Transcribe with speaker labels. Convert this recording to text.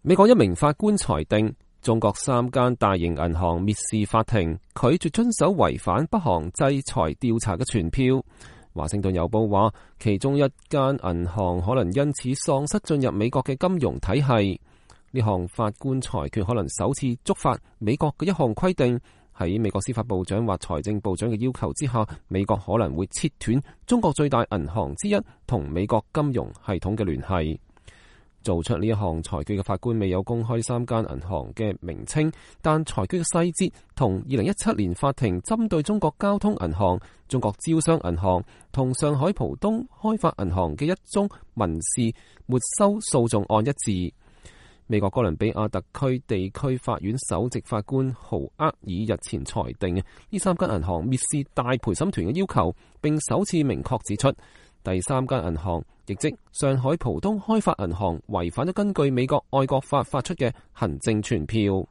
Speaker 1: 美國一名法官裁定，中國3間大型銀行蔑視法庭，拒絕遵守違反北韓制裁調查嘅傳票。華盛頓郵報話，其中一間銀行可能因此喪失進入美國嘅金融體系。呢項法官裁決可能首次觸發美國嘅一項規定，喺美國司法部長或財政部長嘅要求之下，美國可能會切斷中國最大銀行之一同美國金融系統嘅聯繫。做出呢一項裁決嘅法官未有公開3間銀行嘅名稱，但裁決嘅細節同2017年法庭針對中國交通銀行、中國招商銀行同上海浦東開發銀行嘅一宗民事沒收訴訟案一致。美國哥倫比亞特區地區法院首席法官豪厄爾日前裁定，呢3間銀行蔑視大陪審團嘅要求，並首次明確指出，第3間銀行，亦即上海浦東開發銀行，違反咗根據美國愛國法發出嘅行政傳票。